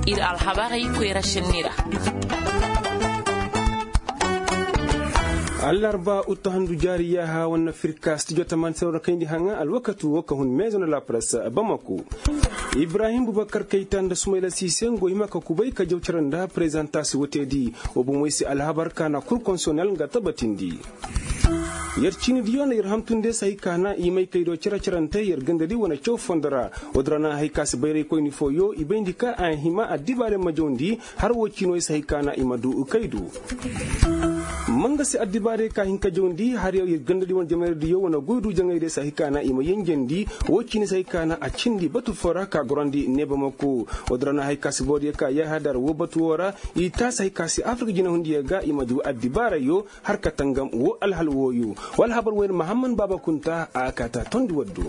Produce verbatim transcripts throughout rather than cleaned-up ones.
Ir alhabarey koyra šenni ra. Allarba uttahandu jaari yaaha wane firka stijo tamaani se war na kayndi haŋa alwakati wo ka hun meezo nda la press bamako. Ibrahim bubakar kayta nda sumayla siise ngo hima ka kubay ka jaw cere nda prezantaasi woteedi. Wo bomey se alhabar ka na kur konsiyonel nga tabatindi. Yer ciinidiyo na yer hantum de se hay ka na i may kay do cere-cerante yer gandadi wane caw fondo ra. Wo- din ra na hay ka si bayraykoyni fooyo i bayndi ka a hima addibaarey ma jawndi. Har wo ciino se hay ka na i ma du kay do. Ma nga se addibaarey ka hin ka jawndi har yer gandadi wane jamayra diyo wane goy du jaŋay de se hay ka na i ma yenjandi. Wo ciini se hay ka na a cindi batu foo ra ka gorandi neebamako. Wo- din ra na hay ka si boro diyo ka yaaha dar wo batu woo ra. I taasi hay ka si afirka jinahundiyo ga i ma du addibaarayo. Har ka tangam wo alhal wooyo. Wa alhabar wayne mahamman baaba kunta a kaata tondi waddo.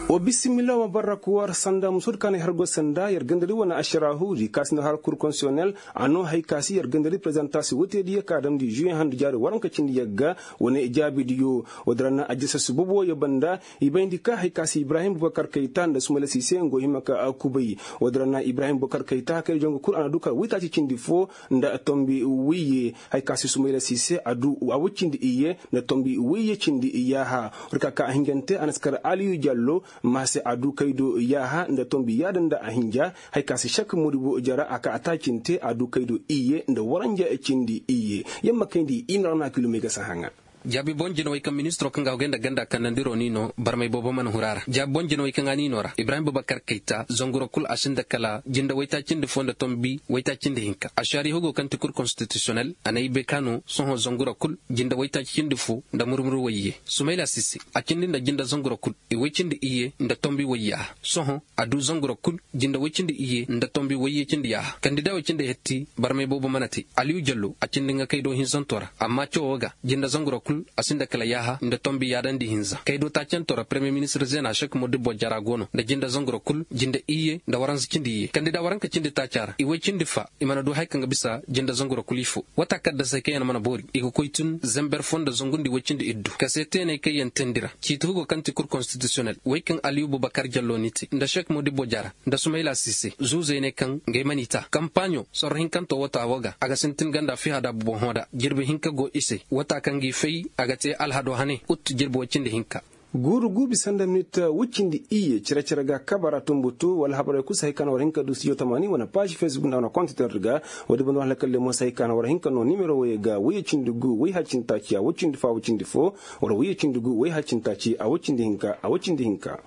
Wa bisimilla wa barrak war sanda musoodi ka na ay har go sanda yer gandadi wane ašaraahuudi ka si nda har kur konsiyonel. A noo hay ka si yer gandadi prezantaasi woteediyo ka damndi žuwe handu jaari waranka cindi yagga. Wane jaabidiyo. Wo- din ra na ajjasas bobo ya banda. I bayndi ka hay ka si ibrahim bubakar kayta nda sumayla siise ngo hima ka kubay. Wo- din ra na ibrahim bubakar kayta kay jongu kul a na du kar waytaaci cindi foo. Nda tombi wayye. Hay ka si sumayla siise a du a woy cindi iyye. Nda tombi wayye cindi yaaha. War ka ka a hinjante a na si kar aliyu jallo. Ma se a du kay do yaaha nda tombi yaada nda a hinja. Hay ka si sek modibo jara a ka a taacinte a du kay do iyye nda waranja cindi iyye. Yamma kayndi i ma ra na kilomey ga si haŋa. Jaabi boŋ jinawey kaŋ ministiroo kaŋ ga hogay nda ganda kandandiro ni no barmay boobo mana huru a ra jaabi boŋ jinawey kaŋ a ni no ra ibrahim bubakar kayta zanguro kul a sinda kala jinde waytaacindi fo nda tombi waytaacindi hinka ašaari hugo kaŋ ti kur konstitisiyonel a na ay bay ka no sohõ zanguro kul jinde waytaacindi fo nda murmur wayye sumayla sise a cindi nda jinde zanguro kul i way cindi iyye nda tombi wayye a sohõ a du zanguro kul jinde woy cindi iyye nda tombi wayye cindi yaaha kandida woy cindi hetti barmay boobo mana te aliyu jallo a cindi nga kay do hinzanto ra amma cawoo ga jinde zanguro kul a sinda kala yaaha nda tombi yaadandi hinza kay do taacanto ra premiyer ministir zena sek modibbo jara go no nda jinde zanguro kul jinde iyye nda waranza cindi iyye kandida waranka cindi taaca ra i woy cindi fa i mana du haya kaŋ ga bisa jinde zanguro kul ifo wata kaddasey kaŋ yaŋ mana boori i ga koy tun zember fo nda zangundi woy cindi iddu kase teeney kaŋ yaŋ teendi ra ciiti hugo kaŋ ti kur konstitisiyonel wey kaŋ aliyu bubakar jallo ni te nda sek modibo jara nda sumayla sise zuuzey ne kaŋ ngey mana i ta kampaaɲo sorro hinkanto wata wo ga a ga sintin ganda fiha daabu boŋ hõ da jirbi hinka go i se wata kaŋ ga i fay a ga te alhado hane ut jirbi woy cindi hinka guuru guubi sanda minit woy cindi iyye cere-cere ga kabara tumbutu wala habarey kul si hay ka na war hin ka du studio tamaani wane paazi facebook nda wane kontitor ga woodi banda war halakalle mo si hay ka na war hin ka no nimero woyey ga woyye cindi gu woy hacintaaci a woy cindi fo a woy cindi fo wala woyye cindi gu woy hacintaaci a woy cindi hinka a woy cindi hinka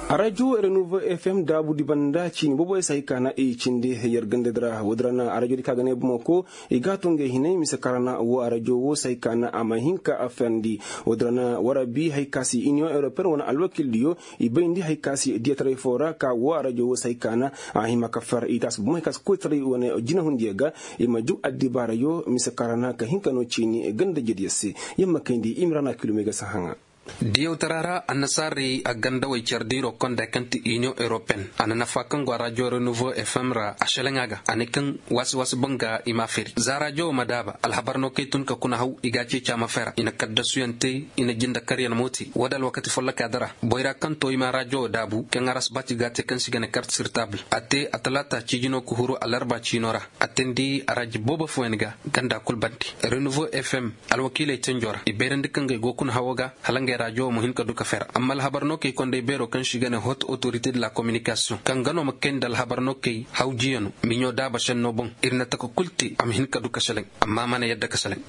arajo renouveau fm daabudi banda ciini boboyey si hay ka na i cindi yer gandadi ra woodi ra na arajo di ka ga ne bomo ko i ga a to ngey hinay mise kaŋ ra na wo arajo wo si hay ka na a ma hin ka a ferndi woodi ra na war a bi hay ka si iniyoŋ europeen wane alwakildiyo i bayndi hay ka si diyataray foo ra ka wo arajo wo si hay ka na a hima ka fer i taasi bomo hay ka si koytaray wane jinahundiyo ga i ma jug addibaarayo mise kaŋ ra na ka hin ka no ciini ganda jediyo se yer ma kayndi i ma ra na kilomey ga si haŋa diyawtara ra annasaarey a gandawey care diiro konda kaŋ ti iniyoŋ europeen a na nafa kaŋ go a rajo renouveau fm ra a seleŋ a ga a ne kaŋ waasi-waasi boŋ ga i m'a feri za rajo wo ma daaba alhabar no kay tun ka kuna haw i ga a ceeci a ma fera i na kaddasuyaŋ te i na jindakaryaŋ mo te wo- din alwakati follokaa di ra boyra kaŋ to i ma rajo wo daabu kaŋ arasbaati ga a te kaŋ se i ga ne kart sirtaabul a te atalaata ciijino ka huru alarba ciino ra a teendi araji boobo fooyaŋ ga ganda kul bande renouveau fm alwakiiley tenjo ra i bayrandi kaŋ ga ay go kuna hawo ga hala ngey rajo wo ma hin ka du ka fer amma alhabar no kay konday beero kaŋ se i ga ne hot autorité de la communication kaŋ ga no ma kay nda alhabar no kay hawjiyano miɲo daaba senno boŋ ir na taka kul te a ma hin ka du ka seleŋ amma a mana yadda ka seleŋ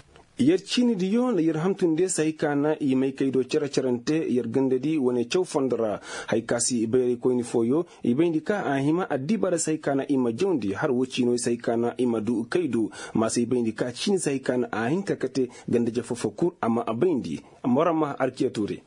yer ciinidiyo nda yer hantumdiyo si hay ka na i may kaydo cere-cerante yer gandadi wane caw fondo ra hay ka si bayraykoyni fooyo i bayndi ka a hima addibaarey si hay ka na i ma jawndi har wo ciinoy si hay ka na i ma du kaydo ma si i bayndi ka ciini si hay ka na a hin ka kate ganda-ize foo-foo kul a ma a bayndi. Amma war a ma arkiya tuure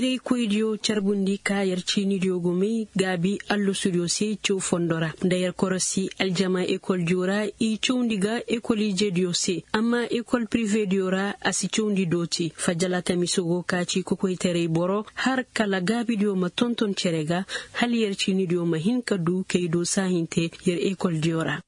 bayraykoydiyo carbundi ka yer ciinidiyo go may gaabi allasudiyo se caw fondo ra nda yer korosi aljama ekoldiyo ra i cawndi ga ekol-ijediyo se amma ekol pirivediyo ra a si cawndi dooti fajjala tamiso go ka ci kokoytaray boro har kala gaabidiyo ma tonton cere ga hala yer ciinidiyo ma hin ka du kaydo saahinte yer ekoldiyo ra.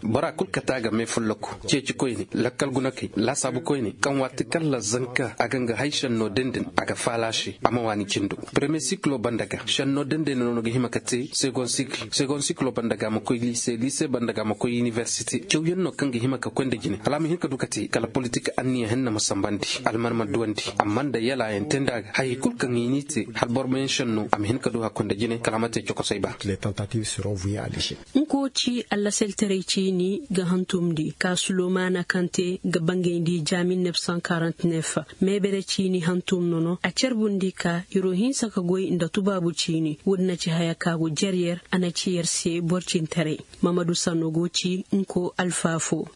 Bora kul kate a ga me folloku ceecikoyne lakkal gunakey laasaabukoyne kaŋ waati kaŋ ra zanka a ga nga hay senno dindin a ga Alaaši a ma waani cindo. Premier sikilo banda ga šenno dendey no no ga hima ka te segon sikilo banda ga a ma koy liise liise banda ga a ma koy inibersite cawyaŋ no kaŋ ga hima ka koy nda jine hala a ma hin ka du ka te kala politik anniya henna ma sambandi alman ma duwandi amma nda yalaayaŋ te nda a ga hayey kul kaŋ i n'i te hala boro ma yaŋ šenno a ma hin ka du hakkoy nda jine kala a ma te cokosey ba. Nko ci allaseltaray ciini ga hantumndi ka sulomaana kaŋ te ga bangayndi ja mil nef san karant nef. Meebere ciini hantum nono a carbundi ka iro hinsa ka goy nda tubaabu ciini woodi na ci haya ka go jer yer a na ci yer se boro cintaray. Mamadu sanno go ci nko alfaafo.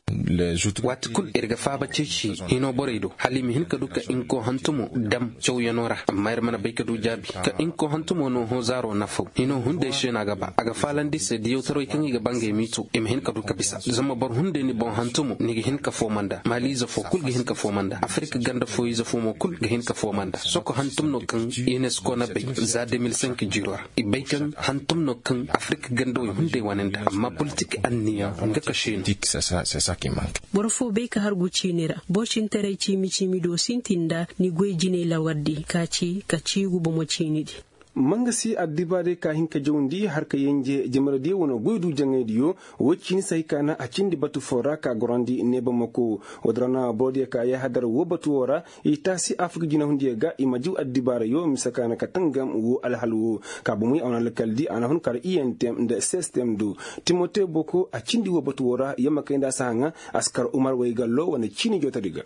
Waati kul ir ga faaba ceeci hino borey do hala i ma hin ka du ka nko hantumo dam cawyanoo ra amma ir mana bay ka du jaabi ka nko hantumo no hoozaaro nafaw hino hunday se no a ga ba a ga faalandi se diyawtarawey kaŋ i ga ba ngey miito i ma hin ka du ka bisa zama boro hunday ni boŋ hantumo ni ga hin ka fooma nda maaliize fo kul ga hin ka fooma nda afirik ganda fooyiize fo mo kul ga hin ka fooma nda soko hantum no kaŋ inesko na bay za de mil cinq jiiro ra i bay kaŋ hantum no kaŋ afirik gandawey hunday wane nda amma politik anniya nga ka seenu. Boro fo bay ka hargu ciini ra boro cintaray ciimi ciimi do sintin nda ni goy jinay lawardi ka ci ka ciigu bomo ciinidi. Mangasi addibaarey ka hin ka jawndi har ka yenje jamaradiyo wane goy du jaŋaydiyo. Woy ciini se hay ka na a cindi batu foo ra ka gorandi neebamako. Woodi ra na borodiyo ka yahadar woo batu woo ra i taasi afirka jinahundiyo ga i ma jaw addibaarayo mise ka na ka tangam woo alhal woo. Ka bomey a wane alkaldi a na hun kar iyentem nda sestem do. Timote boko a cindi woo batu woo ra yamma kay nda a si haŋa a si kar umar waygallo wane ciini jootadi ga.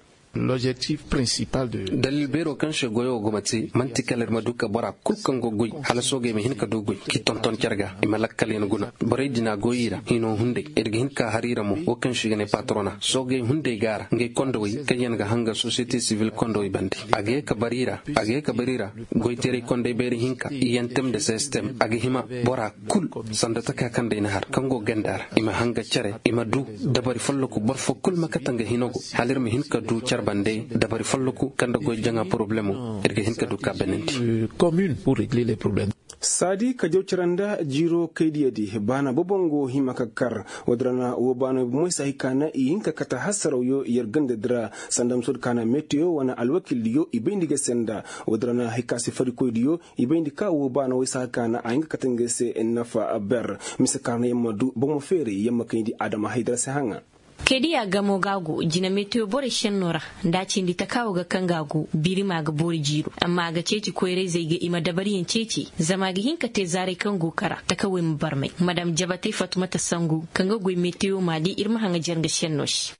Dalil beeroo kaŋ se goyoo go ma te man'ti kala ir ma du ka bora kul kaŋ go goy hala soogey ma hin ka du goy k'i tonton care ga i ma lakkalyaŋ guna. Borey din a goy i ra hino hunday ir ga hin ka har i ra mo woo kaŋ se i ga ne patrona soogey hunday go a ra ngey kondowey kaŋyaŋ ga hanga sosiyete sivil kondowey bande. A ga ye ka bar i ra a ga ye ka bar i ra. Goyteeray kondey bayra hinka iyentem nda sestem a ga hima bora kul sanda taka kaŋ day na har kaŋ go ganda ra i ma hanga care i ma du dabari folloku boro fo kul ma kate nga hino go hala ir ma hin ka du care bande dabari folloku kaŋ nda goy jaŋa poroblemo ir ga hin ka du ka benandi. Saadi ka jaw care nda jiiro kaydiyadi baana bobo nga wo hima ka kar. Woodi ra na woo baanawey bomoy si hay ka na i hin ka kate hasarawyo yer gandadi ra sanda musoodi ka na meteyo wane alwakildiyo i bayndi ga senda. Woodi ra na hay ka si farikoydiyo i bayndi ka woo baanawey si hay ka na a hin ka kate ngey se nafa ber. Mise ka na yer ma du bomo feeray yer ma kayndi adama haydara si haŋa. Kaydiya gamo ga go jina meteyo borey šenno ra nda a cindi taka wo ga kaŋ ga go birima ga boori jiiro amma a ga ceeci koyrayzey ga i ma dabariyaŋ ceeci zama a ga hin ka te zaaray kaŋ go kara takawey ma barmay madam jabatey fatumata sangu kaŋ ga goy meteyo maali ir ma haŋajer nga šenno se.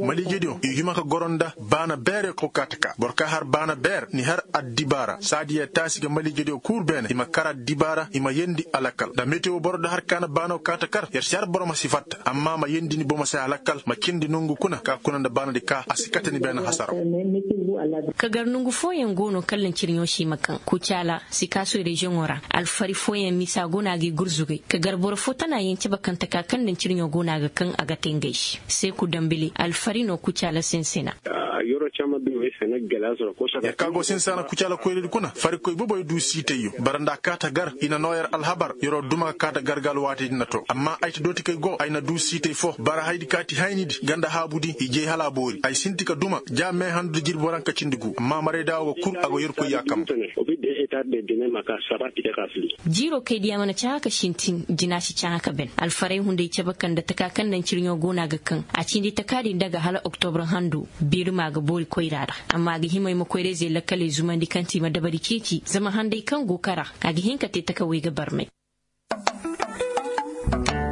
Maliijediyo i hima ka goro nda baana beerey kaw ka taka boro ka har baana beer ni har addibaara saadiya taasi ga maliijediyo kuuru beene i ma kar addibaara i ma yeendi alakal nda metewo boro da har ka na baanaw ka ta kar yer si har boro ma si fatta amma ma yeendi ni bomo se alakal ma cindi nongu kuna ka kuna nda baanadi ka a si kate ni beene hasaraw. Ka gar nongu fooyaŋ go no kallaŋ cirɲo se i ma kaŋ kucaala sikaasoy reziyoŋo ra alfari fooyaŋ misa go no a ga i gurzugay ka gar boro fo tana yaŋ cabe kaŋ taka kaŋ daŋ cirɲo go no a ga kaŋ a ga te ngey se seeku dambili alfari no kucaala sinsina. Yer ka go sinsaana kucaala koyradi kuna farikoy boboy du siitayyo bara nda a kaata gar i na noo yer alhabar yeroo duma ka kaata gar ga alwaatidi na to amma ay ta dootikey go ay na du siitay fo bara haydi kaati haynidi ganda haabudi i jey hala a boori ay sinti ka duma ja mee handu da jirbi waranka cindi gu amma marayda wo ga kul a go yerkoy yaakam. Jiiroo kay diya mana cahã ka sintin jina si cahã ka ben alfaray hunday cabe kaŋ nda taka kaŋ naŋ cirɲo go no a ga kaŋ a cindi taka din daga hala oktobra hando. Biirima ga boori koyra ra amma a ga hima ay ma koyra-izey lakkaley zumandi kaŋ ti i ma dabari ceeci zama handay kaŋ go kara a ga hin ka te takawey ga barmay.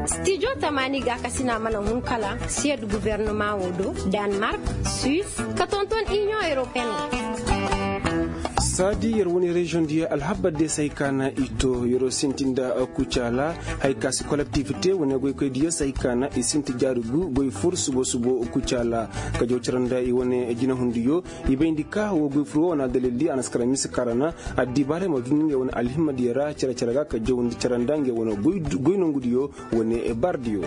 Stijo tamaani gaakasina mana hun kala siyad gubernama wo do, danmark, suis, ka tonton inion europeen wo. Saadi yer wane reziyoŋ diya alhabar de say ka na i to yeroo sinti nda kucaala. Hay ka si kolektif te wane goykoy diya say ka na i sinti jaari gu goy fur subo subo kucaala. Ka jaw cara nda i wane jinahundiyo i bayndi ka wo goy fur wo wane adalildi a na si kara mise kara na addibaarey ma dundi ngey wane alhimmadiyo ra care care ga ka jawndi cara nda ngey wane goy nongudiyo wane bardiyo.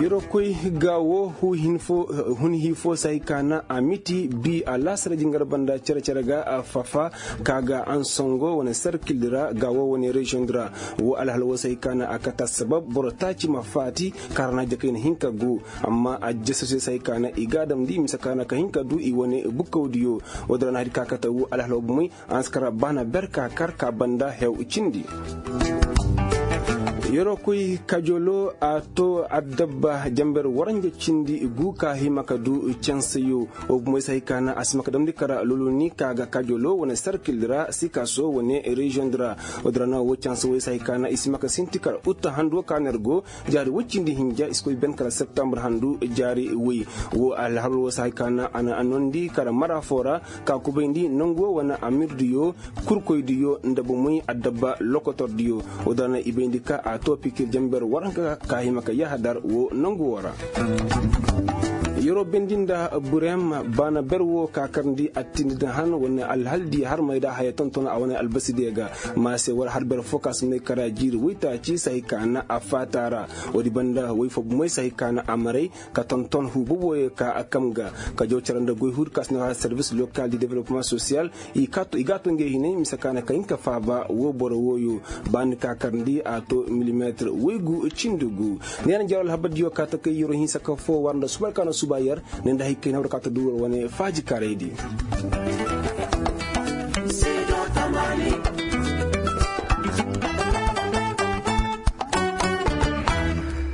Yeroo koy ga woo hun hii foo se hay ka na a miti bii alaasara jingar banda cere-cere ga fafa ka ga ansongo wane sarkildi ra ga woo wane reziyoŋ di ra. Woo alhal woo se hay ka na a kate assabab boro taaci ma faati ka ra na jakayna hin ka guu. Amma ajjasasey se hay ka na i ga a damndi mise ka na ka hin ka duu i wane bukkawdiyo. Woo din ra na hay di ka kate woo alhal woo bomey a na si kar baana ber ka kar ka banda hew cindi. Yeroo koy kajoloo a too addabba janber waranja cindi guu ka hima ka duu cansayoo. Woo bomey se hay ka na a si hima ka damndi kar loloni ka ga kajoloo wane sarkildi ra sikaso wane reziyoŋ di ra. Woo din ra na woo cansa woy se hay ka na i si hima ka sinti kar utta handu woo ka na ir go jaari woy cindi hinja i si koy ben kala septambur handu jaari woy. Woo alhabar woo se hay ka na a na a noondi kala mara foo ra ka kubayndi nongu woo wane amirdiyo kurkoydiyo nda bomey addabba lokotordiyo. Woo din ra na i bayndi ka a too pikir janber waranka ka hima ka yahadar woo nongu woo ra. Yeroo bendi nda burem baana ber woo ka karndi attindi din han wane alhaldi harmey nda haya tonton a wane albasidiyo ga. Ma se war har ber foo ka si may kara jiiri woytaaci se hay ka na a faata ra. Woodi banda woy foo bomey se hay ka na a maray ka tonton huu boboyo ka a kam ga ka jaw cere nda goy huudi ka si na service local di developpement social. I ga a to ngey hinay mise ka na ka hin ka faaba woo boro wooyo. Ba ni ka karndi a to milimeetir woy gu cindi gu. Ni yaŋ na jaro alhabardiyo ka ta kay yeroo hinsa ka foo war nda suba ka na suba yer. Ni nda hay kay na war ka ta duu war wane faaji karaydi.